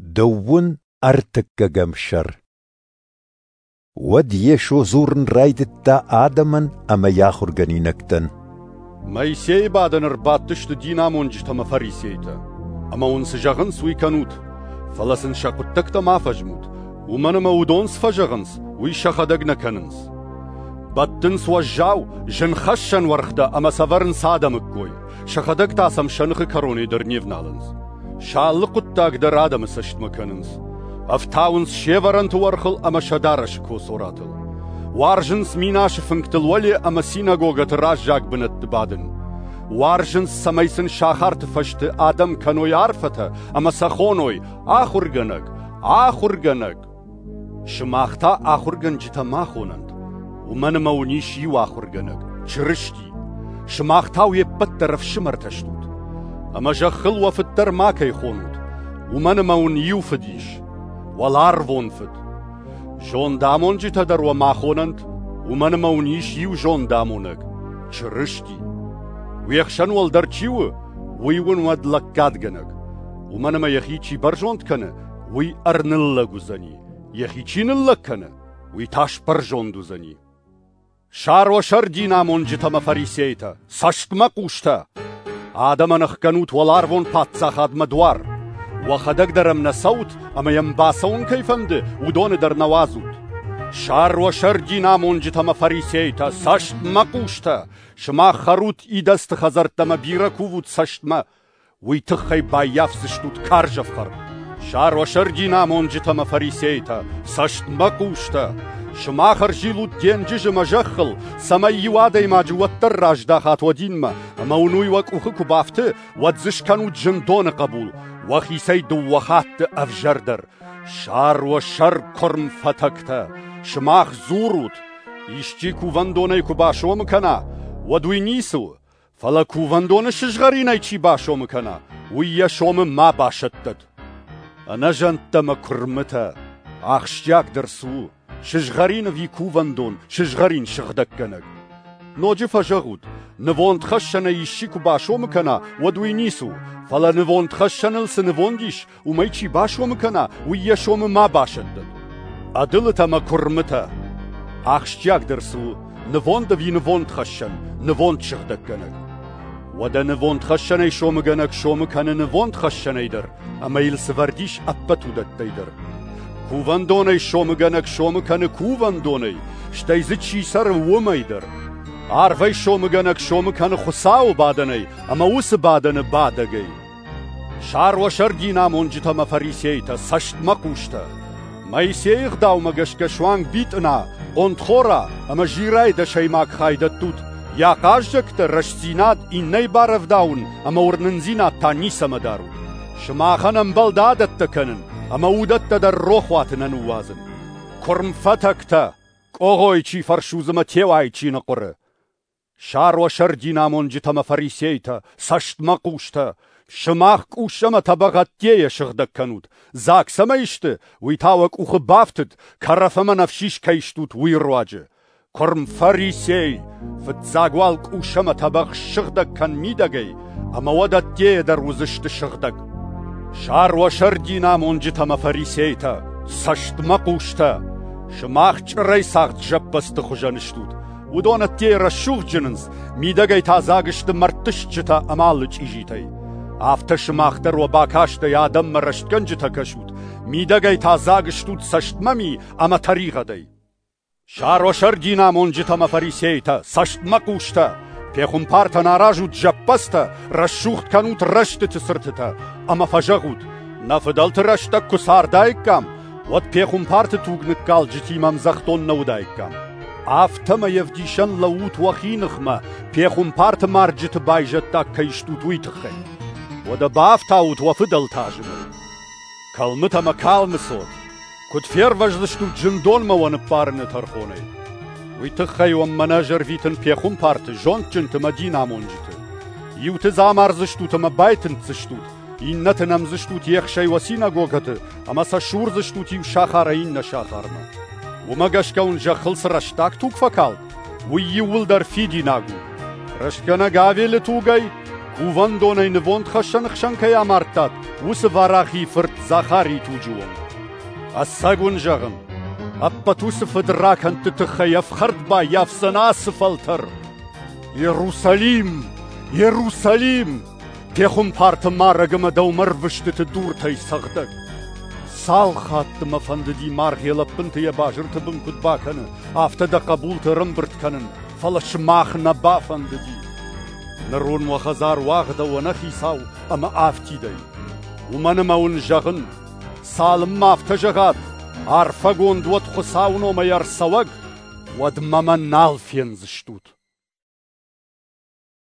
Дыууын ӕртыккӕгӕм сӕр. Уӕд Йесо дзурын райдыдта адӕмӕн ӕмӕ йӕ ахуыргӕнинӕгтӕн. Моисейы бадӕны ӕрбадтысты динамонджытӕ ӕмӕ фарисейтӕ. Ӕмӕ уын цы зӕгъынц, уый кӕнут, фӕлӕ сын сӕ хъуыддӕгтӕ ма фӕзмут, уымӕн ӕмӕ уыдон цы фӕзӕгъынц, уый сӕхӕдӕг нӕ кӕнынц. Бӕттынц уӕззау, зынхӕссӕн уӕргътӕ ӕмӕ сӕвӕрынц адӕмы ккой, сӕхӕдӕг та сӕм сӕ ныхы кӕронӕй дӕр не вналынц. Сӕ алы хъуыддаг дӕр адӕмы цӕстмӕ кӕнынц. Ӕфтауынц се вӕрӕнты уӕрхыл ӕмӕ сӕ дарӕсы коцоратыл. Уарзынц минасы фынгтыл уӕле ӕмӕ синагогӕты раззаг бынӕтты бадын. Уарзынц, цӕмӕй сын сахарты фӕзты адӕм кӕной арфӕтӕ ӕмӕ сӕ хоной «Ахуыргӕнӕг! Ахуыргӕнӕг!» Сымах та ахуыргӕнджытӕ ма хонӕнт, уымӕн ӕмӕ уын ис иу ахуыргӕнӕг, Чырысти. Сымах та уе ппӕт дӕр ӕфсымӕртӕ стут. Ӕмӕ зӕххыл уӕ фыд дӕр макӕй хонут, уымӕн ӕмӕ уын иу фыд ис, уӕларвон фыд. Зондамонджытӕ дӕр уӕ ма хонӕнт, уымӕн ӕмӕ уын ис иу зондамонӕг, Чырысти. Уе хсӕн уӕлдӕр чи у, уый уын уӕд лӕггадгӕнӕг. Уымӕн ӕмӕ йӕхи чи бӕрзонд кӕны, уый ӕрныллӕг уыдзӕни, йӕхи чи ныллӕг кӕны, уый та сбӕрзонд уыдзӕни. Сӕр динамонджытӕ ӕмӕ фарисейтӕ, цӕстмӕхъустӕ! Адӕмӕн ӕхгӕнут уӕларвон паддзахадмӕ дуар. Уӕхӕдӕг дӕр ӕм нӕ цӕут ӕмӕ йӕм бацӕуын кӕй фӕнды, уыдоны дӕр нӕ уадзут. Сӕр динамонджытӕ ӕмӕ фарисейтӕ, цӕстмӕхъустӕ! Сымах хӕрут идӕдзты хӕдзӕрттӕ ӕмӕ бирӕ кувут цӕстмӕ, уый тыххӕй баййафдзыстут карз ӕфхӕрд. Сӕр динамонджытӕ ӕмӕ фарисейтӕ, цӕстмӕхъустӕ! Сымах ӕрзилут денджызы ӕмӕ зӕххыл, цӕмӕй иу адӕймаджы уӕддӕр раздахат уӕ динмӕ, ӕмӕ уын уый уӕ къухы куы бафты, уӕд дзы скӕнут зындоны хъӕбул, уӕхицӕй дыууӕ хатты ӕвзӕрдӕр. Сӕр уӕ сӕр куырм фӕтӕгтӕ! Сымах дзурут, исчи кувӕндонӕй куы басомы кӕна, уӕд уый ницы у, фӕлӕ кувӕндоны сызгъӕринӕй чи басомы кӕна, уый йӕ сомы ма басӕттӕд. Ӕнӕзӕндтӕ мӕ куырмытӕ, ахсджиагдӕр цы у, сызгъӕрин ӕви кувӕндон, сызгъӕрин сыгъдӕггӕнӕг? Ноджы фӕзӕгъут, нывондхӕссӕнӕй исчи куы басомы кӕна, уӕд уый ницы у, фӕлӕ нывондхӕссӕныл цы нывонд ис, уымӕй чи басомы кӕна, уый йӕ сомы ма басӕттӕд. Ӕдылытӕ мӕ куырмытӕ! Ахсджиагдӕр цы у, нывонд ӕви нывондхӕссӕн, нывонд сыгъдӕггӕнӕг? Уӕдӕ нывондхӕссӕнӕй сомыгӕнӕг сомы кӕны нывондхӕссӕнӕй дӕр, ӕмӕ йыл цы вӕрд ис ӕппӕт уыдӕттӕй дӕр. Кувӕндонӕй сомыгӕнӕг сомы кӕны кувӕндонӕй, стӕй дзы чи цӕры, уымӕй дӕр. Арвӕй сомыгӕнӕг сомы кӕны Хуыцауы бадӕнӕй ӕмӕ уыцы бадӕны бадӕгӕй. Сӕр динамонджытӕ ӕмӕ фарисейтӕ, цӕстмӕхъустӕ! Моисейы ӕгъдаумӕ гӕсгӕ суанг битъына, хъонтхора ӕмӕ зирӕйы дӕсӕймаг хай дӕттут, йӕ ахъаззӕгтӕ рӕстдзинад иннӕйы барӕвдауын ӕмӕ уырнындзинад та ницӕмӕ дарут. Сымахӕн ӕмбӕлд адӕттӕ кӕнын ӕмӕ уыдӕттӕ дӕр рохуаты нӕ ныууадзын. Куырм фӕтӕгтӕ, къогъойы чи фӕрсудзы мӕ теуайы чи ныхъуыры. Сӕр динамонджытӕ ӕмӕ фарисейтӕ, цӕстмӕхъустӕ! Сымах къус ӕмӕ тӕбӕгъ ӕддейӕ сыгъдӕг кӕнут, дзаг цӕмӕй сты, уый та уӕ къухы бафтыд, кӕрӕф ӕмӕ ӕнӕфсис кӕй стут, уый руаджы. Куырм фарисей, фыццаг уал къус ӕмӕ тӕбӕгъ ссыгъдӕг кӕн мидӕгӕй, ӕмӕ уӕд ӕддейӕ дӕр уыдзысты сыгъдӕг. Сӕр динамонджытӕ ӕмӕ фарисейтӕ, цӕстмӕхъустӕ! Сымах чъырӕй цагъд зӕппӕдзты хуызӕн стут. Уыдон ӕддейӕ рӕсугъд зынынц, мидӕгӕй та дзаг сты мӕрдты стджытӕ ӕмӕ алы чъизитӕй. Афтӕ сымах дӕр уӕ бакастӕй адӕммӕ рӕстгӕнджытӕ кӕсут, мидӕгӕй та дзаг стут цӕстмӕми ӕмӕ тӕригъӕдӕй. Сӕр динамонджытӕ ӕмӕ фарисейтӕ, цӕстмӕхъустӕ! Пехуымпартӕн аразут зӕппӕдзтӕ, рӕсугъд кӕнут рӕстыты цыртытӕ ӕмӕ фӕзӕгъут, нӕ фыдӕлты рӕстӕг куы цардаиккам, уӕд пехуымпарты туг ныккалджытимӕ ӕмдзӕхдон нӕ уыдаиккам. Афтӕмӕй ӕвдисӕн лӕуут уӕхи ныхмӕ, пехуымпарты марджыты байзӕддаг кӕй стут, уый тыххӕй. Уӕдӕ бафтаут уӕ фыдӕлты азымыл. Кӕлмытӕ ӕмӕ калмы цот, куыд фервӕздзыстут зындонмӕ уӕ ныппарыны тӕрхонӕй? Уый тыххӕй уӕм мӕнӕ ӕз ӕрвитын пехуымпарты, зондджынты мӕ динамонджыты. Иуты дзы амардзыстут ӕмӕ байтындздзыстут, иннӕты нӕмдзыстут ехсӕй уӕ синагогӕты ӕмӕ сӕ сурдзыстут иу сахарӕй иннӕ сахармӕ. Уымӕ гӕсгӕ уын зӕххыл цы рӕстаг туг фӕкалд, уый иууылдӕр фидинаг у. Рӕстгӕнӕг Авелы тугӕй, Кувӕндонӕй нывондхӕссӕны хсӕн кӕй амардтат, уыцы Варахийы фырт Захарийы туджы онг. Ӕцӕг уын зӕгъын, ӕппӕт уыцы фыдракӕндты тыххӕй ӕфхӕрд баййафдзӕн ацы фӕлтӕр. Иерусалим! Иерусалим! Пехуымпарты марӕг ӕмӕ дӕумӕ ӕрвыстыты дуртӕй цӕгъдӕг! Цал хатты мӕ фӕндыди маргъ йӕ лӕппынты йӕ базырты бын куыд бакӕны, афтӕ дӕ хъӕбулты ӕрӕмбырд кӕнын, фӕлӕ сымах нӕ бафӕндыди. Ныр уын уӕ хӕдзар уагъдӕуы ӕнӕхицау ӕмӕ афтидӕй. Уымӕн ӕмӕ уын зӕгъын, цалынмӕ афтӕ зӕгъат, арфӕгонд уӕд Хуыцауы номӕй ӕрцӕуӕг, уӕдмӕ мӕ нал фендзыстут.